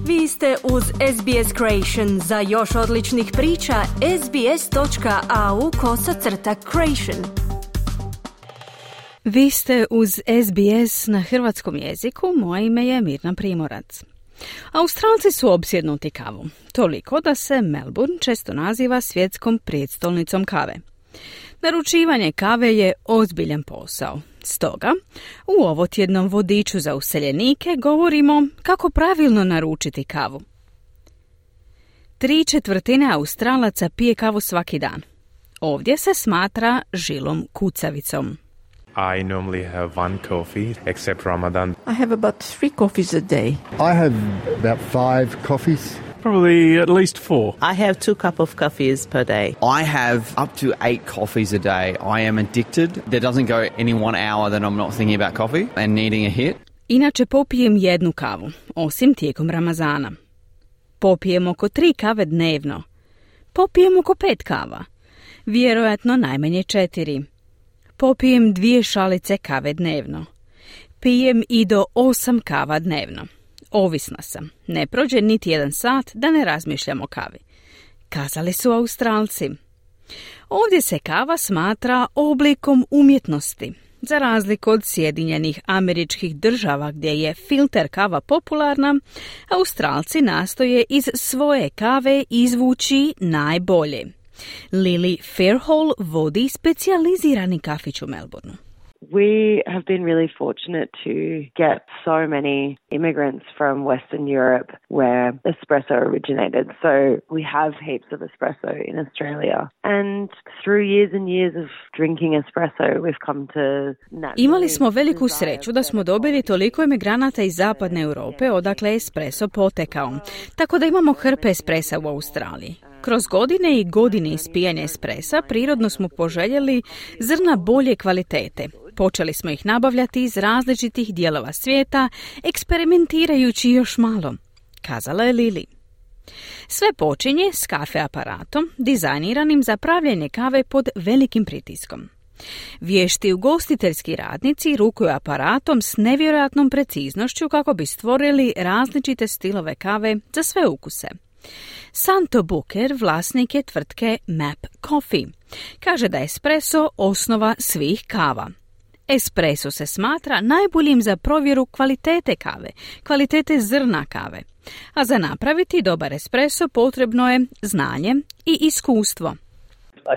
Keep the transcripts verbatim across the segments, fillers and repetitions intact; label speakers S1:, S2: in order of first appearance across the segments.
S1: Vi ste uz S B S Creation. Za još odličnih priča, sbs.au kosacrta creation. Vi ste uz S B S na hrvatskom jeziku, moje ime je Mirna Primorac. Australci su opsjednuti kavom, toliko da se Melbourne često naziva svjetskom prijestolnicom kave. Naručivanje kave je ozbiljan posao. Stoga, u ovotjednom vodiču za useljenike govorimo kako pravilno naručiti kavu. Tri četvrtine Australaca pije kavu svaki dan. Ovdje se smatra žilom kucavicom.
S2: I normally have one coffee, except Ramadan.
S3: I have about three coffees a day.
S4: I have about five coffees.
S5: Probably at least four.
S6: I have two cup of coffees per day.
S7: I have up to eight coffees a day. I am addicted. There doesn't go any one hour that I'm not thinking about coffee and needing a hit.
S1: Inače popijem jednu kavu, osim tijekom Ramazana. Popijem oko tri kave dnevno. Popijem oko pet kava. Vjerojatno najmanje četiri. Popijem dvije šalice kave dnevno. Pijem i do osam kava dnevno. Ovisna sam. Ne prođe niti jedan sat da ne razmišljam o kavi. Kazali su Australci. Ovdje se kava smatra oblikom umjetnosti. Za razliku od Sjedinjenih Američkih Država gdje je filter kava popularna, Australci nastoje iz svoje kave izvući najbolje. Lily Fairhall vodi specijalizirani kafić u Melbourneu.
S8: We have been really fortunate to get so many immigrants from Western Europe where espresso originated. So we have heaps of espresso in Australia. And through years and years of drinking espresso, we've come to naturally...
S1: Imali smo veliku sreću da smo dobili toliko emigranata iz zapadne Europe odakle je espresso potekao. Tako da imamo hrpe espressa u Australiji. Kroz godine i godine ispijanja espressa prirodno smo poželjeli zrna bolje kvalitete. Počeli smo ih nabavljati iz različitih dijelova svijeta, eksperimentirajući još malo, kazala je Lili. Sve počinje s kafe aparatom, dizajniranim za pravljenje kave pod velikim pritiskom. Vješti ugostiteljski radnici rukuju aparatom s nevjerojatnom preciznošću kako bi stvorili različite stilove kave za sve ukuse. Santo Booker vlasnik je tvrtke Map Coffee. Kaže da je espresso osnova svih kava. Espresso se smatra najboljim za provjeru kvalitete kave, kvalitete zrna kave. A za napraviti dobar espresso potrebno je znanje i iskustvo.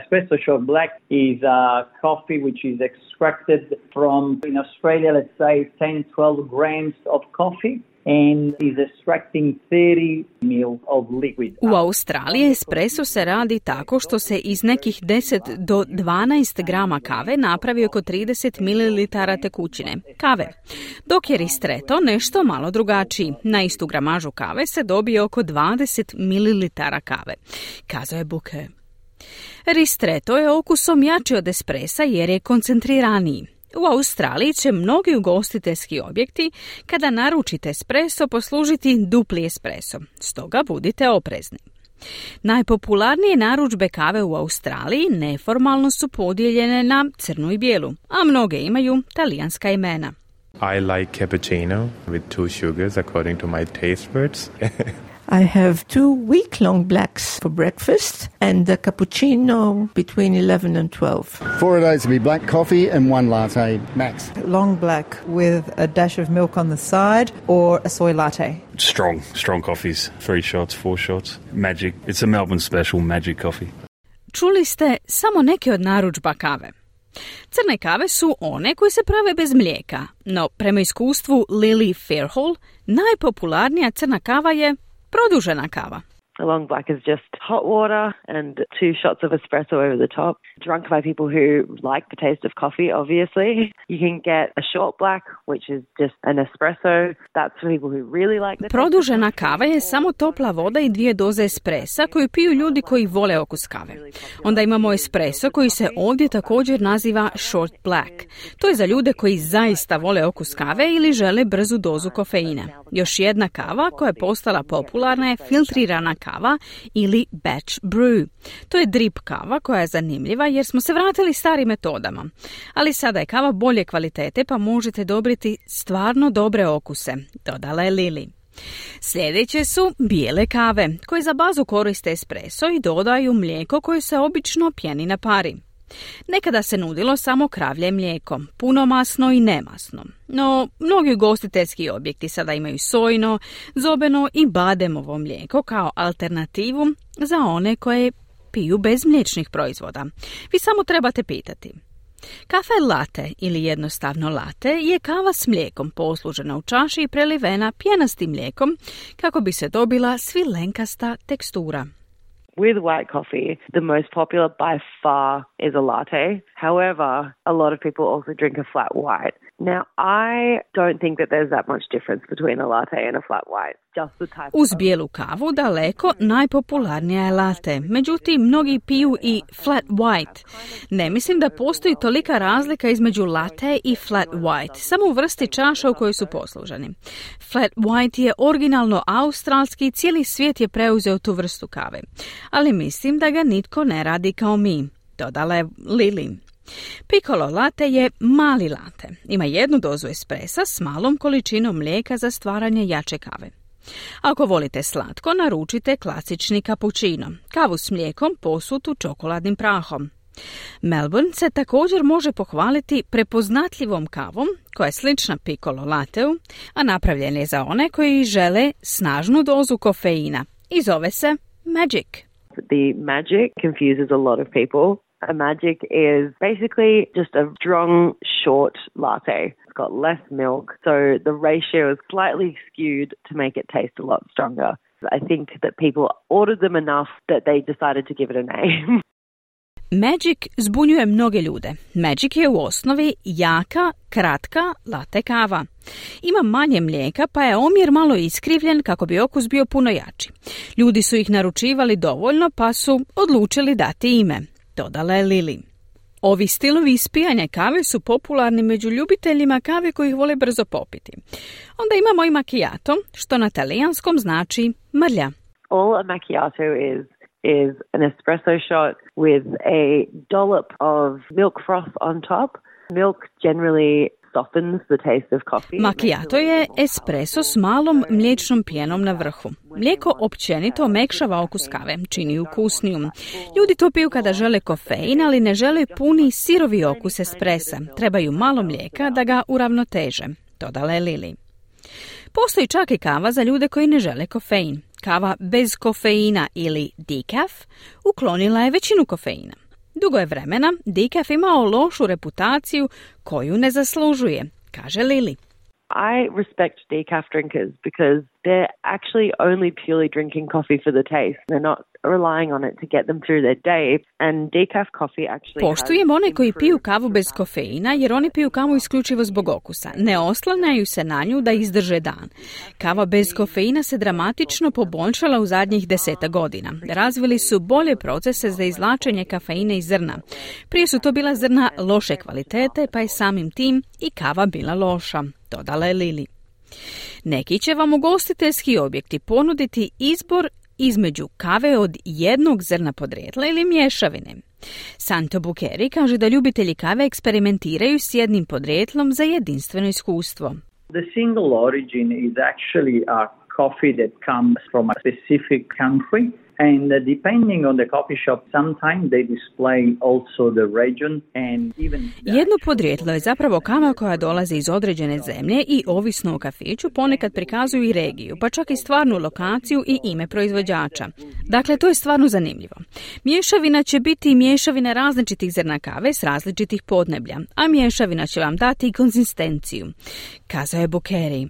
S9: Espresso short black is a coffee which is extracted from, in Australia, let's say ten to twelve grams of coffee. And is extracting thirty mil of liquid.
S1: U Australiji espresso se radi tako što se iz nekih deset do dvanaest grama kave napravi oko trideset mililitara tekućine kave, dok je ristretto nešto malo drugačiji. Na istu gramažu kave se dobije oko dvadeset mililitara kave, kazao je Booker. Ristretto je okusom jači od espressa jer je koncentriraniji. U Australiji će mnogi ugostiteljski objekti kada naručite espresso poslužiti dupli espresso, stoga budite oprezni. Najpopularnije narudžbe kave u Australiji neformalno su podijeljene na crnu i bijelu, a mnoge imaju talijanska imena.
S2: I like cappuccino with two sugars according to my taste buds.
S3: I have two week-long blacks for breakfast and a cappuccino between eleven and twelve.
S4: Four a day to be black coffee and one latte max.
S10: Long black with a dash of milk on the side or a soy latte.
S5: Strong, strong coffees. Three shots, four shots. Magic. It's a Melbourne special, magic coffee.
S1: Čuli ste samo neke od narudžba kave. Crne kave su one koje se prave bez mlijeka, no prema iskustvu Lily Fairhall, najpopularnija crna kava je produžena kava.
S8: A long black is just hot water and two shots of espresso over the top, drunk by people who like the taste of coffee, obviously. You can get a short black, which is just an espresso. That's for people who really like the taste.
S1: Produžena kava je samo topla voda i dvije doze espressa koju piju ljudi koji vole okus kave. Onda imamo espresso koji se ovdje također naziva short black. To je za ljude koji zaista vole okus kave ili žele brzu dozu kofeina. Još jedna kava koja je postala popularna je filtrirana kava ili batch brew. To je drip kava koja je zanimljiva jer smo se vratili starim metodama. Ali sada je kava bolje kvalitete pa možete dobiti stvarno dobre okuse, dodala je Lili. Sljedeće su bijele kave, koje za bazu koriste espresso i dodaju mlijeko koje se obično pjeni na pari. Nekada se nudilo samo kravlje mlijeko, punomasno i nemasno. No, mnogi ugostiteljski objekti sada imaju sojino, zobeno i bademovo mlijeko kao alternativu za one koje piju bez mliječnih proizvoda. Vi samo trebate pitati. Kafe latte ili jednostavno latte je kava s mlijekom poslužena u čaši i prelivena pjenastim mlijekom kako bi se dobila svilenkasta tekstura.
S8: With white coffee, the most popular by far is a latte. However, a lot of people also drink a flat white. Now, I don't think that there's that much difference between a latte and a flat white. Just the type
S1: Uz bijelu kavu daleko najpopularnija je latte. Međutim, mnogi piju i flat white. Ne mislim da postoji tolika razlika između latte i flat white, samo u vrsti čaša u kojoj su posluženi. Flat white je originalno australski i cijeli svijet je preuzeo tu vrstu kave. Ali mislim da ga nitko ne radi kao mi, dodala je Lily. Piccolo latte je mali latte. Ima jednu dozu espresa s malom količinom mlijeka za stvaranje jače kave. Ako volite slatko, naručite klasični cappuccino, kavu s mlijekom posutu čokoladnim prahom. Melbourne se također može pohvaliti prepoznatljivom kavom koja je slična piccolo latteu, a napravljen je za one koji žele snažnu dozu kofeina i zove se Magic.
S8: The Magic confuses a lot of people. A Magic is basically just a strong, short latte. It's got less milk, so the ratio is slightly skewed to make it taste a lot stronger. I think that people ordered them enough that they decided to give it a name.
S1: Magic zbunjuje mnoge ljude. Magic je u osnovi jaka, kratka latte kava. Ima manje mlijeka, pa je omjer malo iskrivljen kako bi okus bio puno jači. Ljudi su ih naručivali dovoljno, pa su odlučili dati ime, dodala je Lily. Ovi stilovi ispijanja kave su popularni među ljubiteljima kave koji ih vole brzo popiti. Onda imamo i macchiato, što na talijanskom znači mrlja.
S8: All a macchiato is is an espresso shot with a dollop of milk froth on top. Milk generally softens the taste of coffee.
S1: Macchiato je espresso s malom mliječnom pjenom na vrhu. Mlijeko općenito omekšava okus kave, čini ukusnijom. Ljudi to piju kada žele kofein, ali ne žele puni sirovi okus espressa. Trebaju malo mlijeka da ga uravnoteže, dodala je Lily. Postoji čak i kava za ljude koji ne žele kofein. Kava bez kofeina ili decaf uklonila je većinu kofeina. Dugo je vremena decaf imao lošu reputaciju koju ne zaslužuje, kaže Lily.
S8: I respect decaf drinkers because they're actually only purely drinking coffee for the taste. They're not relying on it to get them through their day. And decaf coffee actually
S1: Poštujem one koji piju kavu bez kofeina jer oni piju kavu isključivo zbog okusa. Ne oslanjaju se na nju da izdrže dan. Kava bez kofeina se dramatično poboljšala u zadnjih deseta godina. Razvili su bolje procese za izvlačenje kafeina iz zrna. Prije su to bila zrna loše kvalitete, pa je samim tim i kava bila loša, dodala je Lily. Neki će vam ugostiteljski objekti ponuditi izbor između kave od jednog zrna podrijetla ili mješavine. Santo Bukeri kaže da ljubitelji kave eksperimentiraju s jednim podrijetlom za jedinstveno iskustvo.
S9: The single origin is actually a coffee that comes from a specific country. And uh, depending on the coffee shop, sometimes they display also the region and even...
S1: Jedno podrijetlo je zapravo kava koja dolazi iz određene zemlje i ovisno o kafiću ponekad prikazuju i regiju, pa čak i stvarnu lokaciju i ime proizvođača. Dakle, to je stvarno zanimljivo. Mješavina će biti mješavina različitih zrna kave s različitih podneblja, a mješavina će vam dati i konzistenciju, kazao je Bukeri.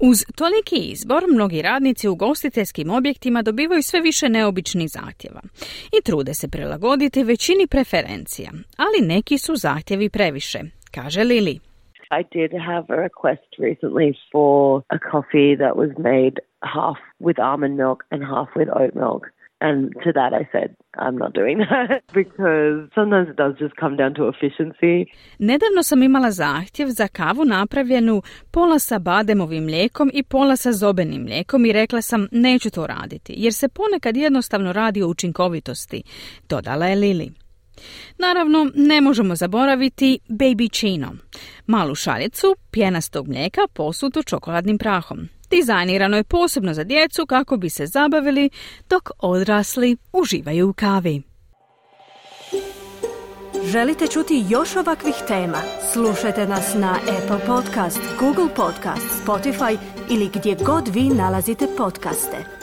S1: Uz toliki izbor, mnogi radnici u ugostiteljskim objektima dobivaju sve više neobičnih zahtjeva i trude se prilagoditi većini preferencija, ali neki su zahtjevi previše, kaže Lily.
S8: I did have a request recently for a coffee that was made half with almond milk and half with oat milk. And to that I said, I'm not doing that because sometimes it does just come down to efficiency.
S1: Nedavno sam imala zahtjev za kavu napravljenu pola sa bademovim mlijekom i pola sa zobenim mlijekom i rekla sam neću to raditi jer se ponekad jednostavno radi o učinkovitosti, dodala je Lily. Naravno, ne možemo zaboraviti baby chino, malu šaljicu pjenastog mlijeka posutu čokoladnim prahom. Dizajnirano je posebno za djecu kako bi se zabavili dok odrasli uživaju u kavi.
S11: Želite čuti još ovakvih tema? Slušajte nas na Apple Podcast, Google Podcast, Spotify ili gdje god vi nalazite podcaste.